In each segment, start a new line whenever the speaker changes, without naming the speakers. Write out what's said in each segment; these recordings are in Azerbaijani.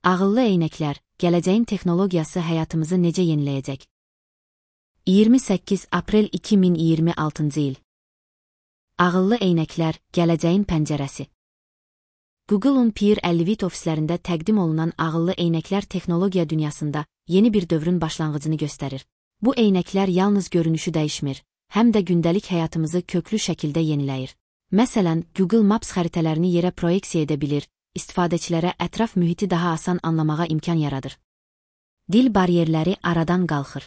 Ağıllı eynəklər, gələcəyin texnologiyası həyatımızı necə yeniləyəcək? 28 aprel 2026-cı il. Ağıllı eynəklər, gələcəyin pəncərəsi. Google'un Peer Elevate ofislərində təqdim olunan ağıllı eynəklər texnologiya dünyasında yeni bir dövrün başlanğıcını göstərir. Bu eynəklər yalnız görünüşü dəyişmir, həm də gündəlik həyatımızı köklü şəkildə yeniləyir. Məsələn, Google Maps xəritələrini yerə proyeksiya edə bilir, istifadəçilərə ətraf mühiti daha asan anlamağa imkan yaradır. Dil bariyerləri aradan qalxır.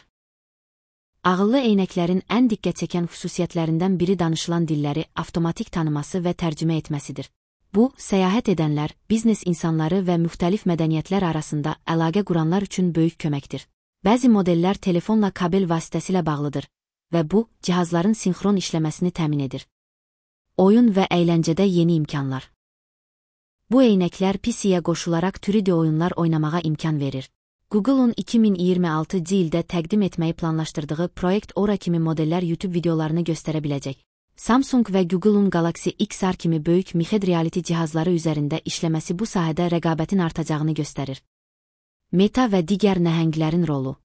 Ağıllı eynəklərin ən diqqət çəkən xüsusiyyətlərindən biri danışılan dilləri avtomatik tanıması və tərcümə etməsidir. Bu, səyahət edənlər, biznes insanları və müxtəlif mədəniyyətlər arasında əlaqə quranlar üçün böyük köməkdir. Bəzi modellər telefonla kabel vasitəsilə bağlıdır və bu, cihazların sinxron işləməsini təmin edir. Oyun və əyləncədə yeni imkanlar. Bu eynəklər PC-yə qoşularaq 3D oyunlar oynamağa imkan verir. Google'un 2026-cı ildə təqdim etməyi planlaşdırdığı Project Aura kimi modellər YouTube videolarını göstərə biləcək. Samsung və Google'un Galaxy XR kimi böyük mixed reality cihazları üzərində işləməsi bu sahədə rəqabətin artacağını göstərir. Meta və digər nəhənglərin rolu.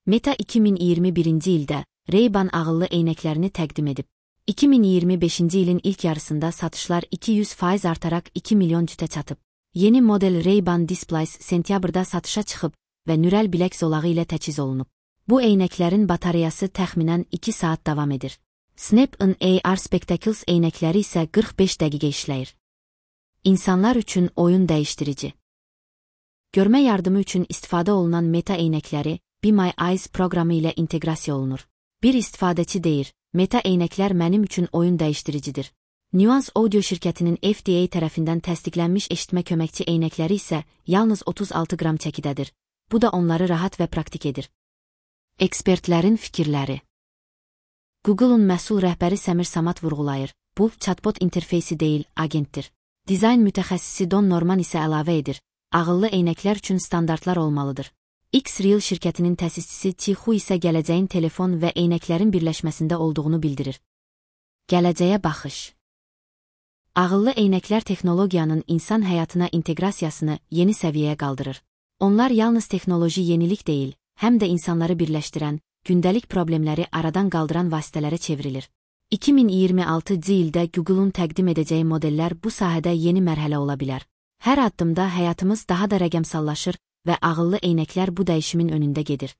Meta 2021-ci ildə Ray-Ban ağıllı eynəklərini təqdim edib. 2025-ci ilin ilk yarısında satışlar 200% artaraq 2 milyon cütə çatıb. Yeni model Ray-Ban Displays sentyabrda satışa çıxıb və nürəl bilək zolağı ilə təchiz olunub. Bu eynəklərin batareyası təxminən 2 saat davam edir. Snap-on AR Spectacles eynəkləri isə 45 dəqiqə işləyir. İnsanlar üçün oyun dəyişdirici. Görmə yardımı üçün istifadə olunan Meta eynəkləri Be My Eyes proqramı ilə inteqrasiya olunur. Bir istifadəçi deyir, Meta eynəklər mənim üçün oyun dəyişdiricidir. Nuance Audio şirkətinin FDA tərəfindən təsdiqlənmiş eşitmə köməkçi eynəkləri isə yalnız 36 qram çəkidədir. Bu da onları rahat və praktik edir. Ekspertlərin fikirləri. Google'un məhsul rəhbəri Səmir Samad vurğulayır. Bu, chatbot interfeysi deyil, agentdir. Dizayn mütəxəssisi Don Norman isə əlavə edir. Ağıllı eynəklər üçün standartlar olmalıdır. X-Real şirkətinin təsisçisi Qi-Hu isə gələcəyin telefon və eynəklərin birləşməsində olduğunu bildirir. Gələcəyə baxış. Ağıllı eynəklər texnologiyanın insan həyatına inteqrasiyasını yeni səviyyəyə qaldırır. Onlar yalnız texnoloji yenilik deyil, həm də insanları birləşdirən, gündəlik problemləri aradan qaldıran vasitələrə çevrilir. 2026-cı ildə Google'un təqdim edəcəyi modellər bu sahədə yeni mərhələ ola bilər. Hər addımda həyatımız daha da rəqəmsallaşır və ağıllı eynəklər bu dəyişimin önündə gedir.